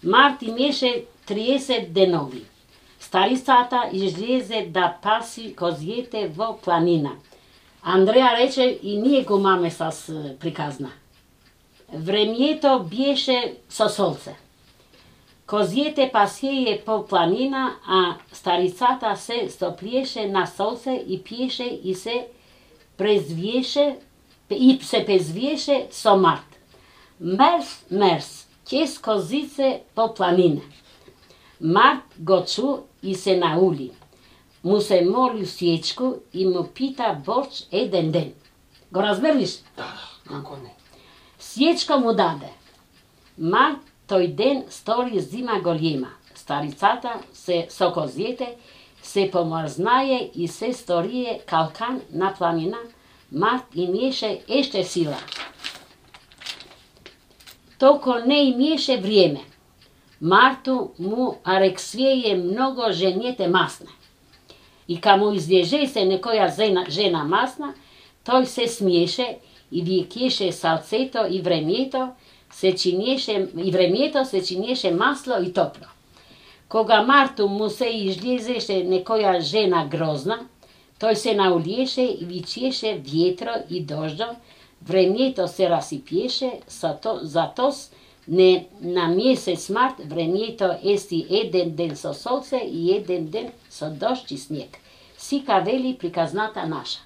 Март имеше 30 денови. Старицата излезе да паси козиете во планина. Андреја рече, и ние го маме с приказна. Времјето беше со солце. Козиете пасеје по планина, а старицата се стоплиеше на солце и пиеше и се презвиеше со Март. Мерс, мерс, ќес козице по планина. Март го чу и се наули. Му се моли Сјечку и му пита борч еден ден. Го разберлиш? Да, како не. Сјечка му даде. Март тој ден стори зима голема. Старицата се со козиете се помрзнае и се сторие калкан на планина. Март имеше еште сила. Толку не имеше време. Марту му арексвеје много жените масна. И каму излеже се некоја жена масна, тој се смиеше и викеше салцето и времето се чинеше масло и топло. Кога Марту му се излезеше некоја жена грозна, тој се наулиеше и вичеше ветро и дождо, времето се расипиеше, затос не на месец март времето ести еден ден со солце и еден ден со дожд и снег. Сика вели приказната наша.